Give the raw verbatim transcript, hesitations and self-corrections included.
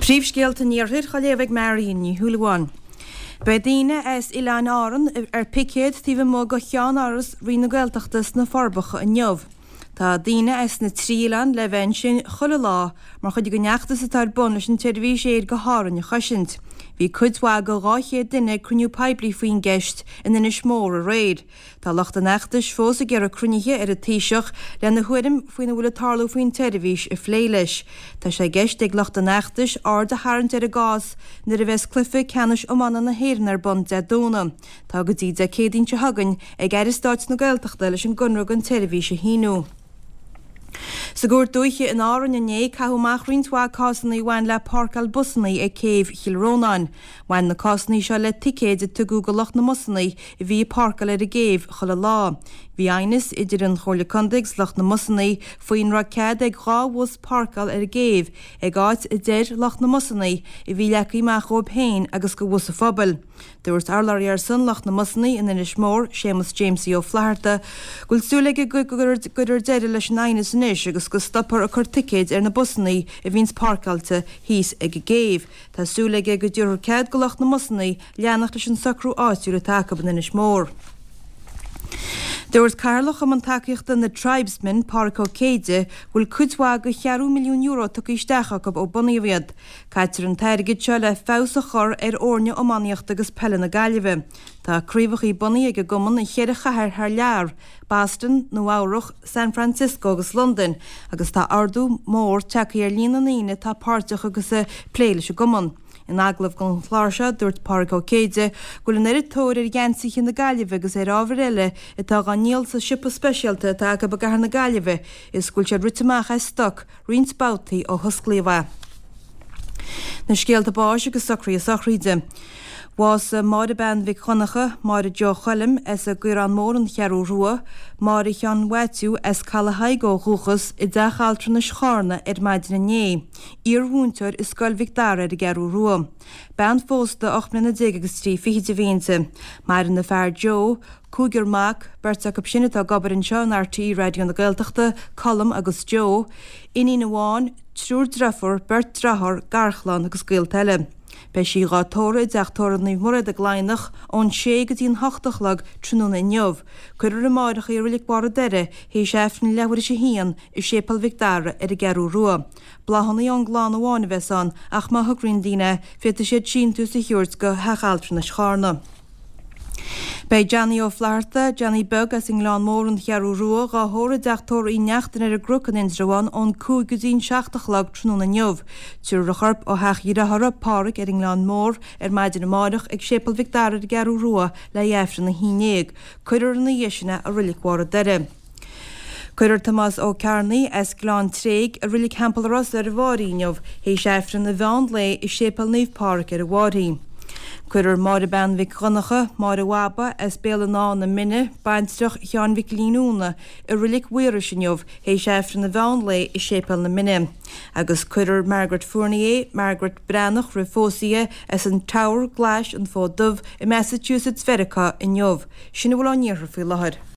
Príomhscéalta an Iarthair á léamh ag Marion Ní Shúilleabháin. Beidh daoine as Oileáin Árann ar picéad taobh amuigh de cheannáras Roinn na Gaeltachta sna Forbacha inniu. Tá daoine as na trí oileán le bheith ansin chuile lá mar chuid den fheachtas atá ar bun leis an tseirbhís aeir go hÁrainn a chosaint. Bhí cuid mhaith de dhá chéad duine ag cruinniú poiblí faoin gceist in Inis Mór aréir. Tá lucht an fheachtais fós ag iarraidh cruinnithe ar an Taoiseach lena thuairim faoina bhfuil ag tarlú faoin tseirbhís a phlé leis. Tá sé i gceist ag lucht an fheachtais aird a tharraingt ar an gcás nuair a bheas cluiche ceannais iomána na hÉireann ar bun Dé Domhnaigh. Tá go dtí Dé Céadaoin seo chugainn ag Aire Stáit na Gaeltachta leis an gconradh don tseirbhís a shíniú. Sa gCúirt Dúiche in Árainn inné, caitheadh amach roinnt mhaith cásanna a bhain le páirceáil busanna ag céibh Chill Rónáin. Bhain na cásanna seo le ticéid a tugadh do lucht na mbusanna a bhí ag páirceáil ar an gcéibh chuile lá. Bhí aighneas idir an Chomhairle Contae agus lucht na mbusanna faoin raibh cead ag dhá bhus páirceáil ar an gcéibh ag áit a deir lucht na mbusanna a bhí leagtha amach dóibh féin agus do bhus an phobail. Dúirt urlabhraí ar son lucht na mbusanna in Inis Mór, Séamus Jamesie Ó Flatharta, go bhfuil súil aige go gcuirfear deireadh leis an aighneas anois agus go stopfar ag cur ticéid ar na busanna a bhíonns páirceáilte thíos ag an gcéibh. Tá súil aige go dtabharfar cead do lucht na mbusanna leanacht leis an socrú áitiúil atá acu in Inis Mór. Dúirt Cathaoirleach Chumann Tacaíochta na Tribesmen, Pádraig Ó Céide, go bhfuil cuid mhaith de cheathrú milliún euro tugtha isteach acu ó bunaíodh iad. Caitear an t-airgead seo le feabhas a chur ar fhoirne iománaíochta agus peile na Gaillimhe. Tá craobhacha bunaithe ag an gcumann i cheithre chathair thar lear, Boston, Nua Eabhrac, San Francisco agus Londain, agus tá ardú mór tagtha ar líon na ndaoine atá páirteach agus ag plé leis an gcumann. In agallamh don chlár seo, dúirt Pádraig Ó Céide go bhfuil an oiread tóir ar gheansaithe na Gaillimhe agus ar ábhair eile atá á ndíol sa siopa speisialta atá acu i gcathair na Gaillimhe is go bhfuil siad rite amach as stoc roinnt babhtaí ó hosclaíodh é. Na scéalta báis agus socruithe sochraide. Bhásaigh Máire Bean Mhic Dhonncha, Máire Joe Choilm, as an gCaorán Mór, An Cheathrú Rua, Máire Sheáin Mhaitiú, as Caladh Thaidhg ó dhúchas, i dteach altranais Charna ar maidin inné. Iar-mhúinteoir i Scoil Mhic Dara ar an gCeathrú Rua. Bean phósta ocht mbliana déag agus trí fichid a bhí inti. Maireann a fear Joe, cúigear mac, beirt acu sin atá ag obair anseo in RTÉ Raidió na Gaeltachta, Colm agus Joe, iníon amháin, triúr deirfiúr, beirt dearthár, garchlann agus gaolta eile. Beidh sí dhá tórramh i dteach tórraimh Naomh Mairéad ag Laighneach ón sé go dtí an hocht a chlog tráthnóna inniu. Cuirfear amáireach í i Reilig Bharr an Doire théis Aifreann leathuair théis a haon i Séipéal Mhic Dara ar an gCeathrú Rua. Bláthanna ón gclann amháin a bheas ann ach má thograíonn daoine féadfaidh siad síntiús a thabhairt go Theach Altranais Charna. Beidh Johnny Ó Flatharta, Johnny Beag as an nGleann Mór, An Cheathrú Rua, dhá thórramh i dteach tórraimh Uí Neachtain ar an gCnoc in Indreabhán ón cúig go dtí an seacht a chlog tráthnóna inniu. Tabharfar a chorp ó theach a dhearthára, Páraic, ar an nGleann Mór ar maidin amáireach ag Séipéal Mhic Dara ar an gCeathrú Rua le haghaidh Aifreann a haon déag. Cuirfear ina dhiaidh sin é i Reilig Bharr an Doire. Cuirfear Tomás Ó Cearnaigh as Gleann Tréig i Reilig Theampall Ros ar an bhFáirche inniu théis Aifreann an mheán lae i Séipéal Naomh Pádraig ar an bhFáirche. Cuirfear Máire Bean Mhic Dhonncha, Máire Bhaba, as Béal an Átha na Mine, baintreach Sheáin Mhic Lín Úna, i Reilig Mhaorais inniu théis Aifreann an mheán lae i Séipéal na Mine. Agus cuirfear Margaret Fournier, Margaret Breathnach roimh phósadh di, as an Teamhair Glais, An Fód Dubh, i Massachusetts Mheiriceá inniu. Sin a bhfuil ón iarthar faoi láthair.